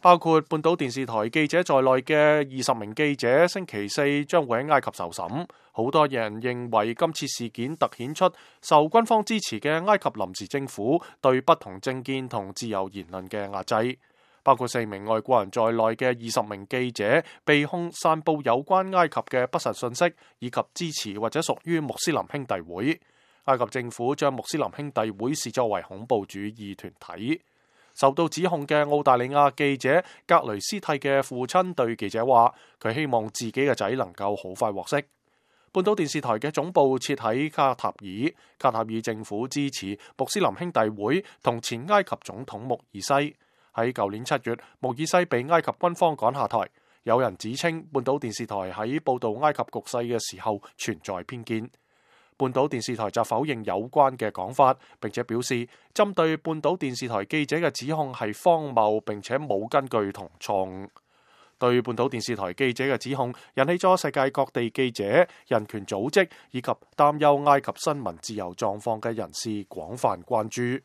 包括半島電視台記者在內嘅20名記者，星期四將會喺埃及受審。好多人認為今次事件突顯出受軍方支持嘅埃及臨時政府對不同政見同自由言論嘅壓制。包括4名外國人在內嘅20名記者被控散佈有關埃及嘅不實信息，以及支持或者屬於穆斯林兄弟會。埃及政府將穆斯林兄弟會視作為恐怖主義團體。受到指控嘅澳大利亞記者格雷斯蒂嘅父親對記者話，佢希望自己嘅仔能夠好快獲釋。半島電視台嘅總部設喺卡塔爾，卡塔爾政府支持穆斯林兄弟會同前埃及總統穆爾西。喺舊年7月，穆爾西被埃及軍方趕下台。有人指稱半島電視台喺報導埃及局勢嘅時候存在偏見。半島電視台就否認有關嘅講法，並且表示針對半島電視台記者嘅指控係荒謬並且冇根據同錯誤。對半島電視台記者嘅指控引起咗世界各地記者、人權組織以及擔憂埃及新聞自由狀況嘅人士廣泛關注。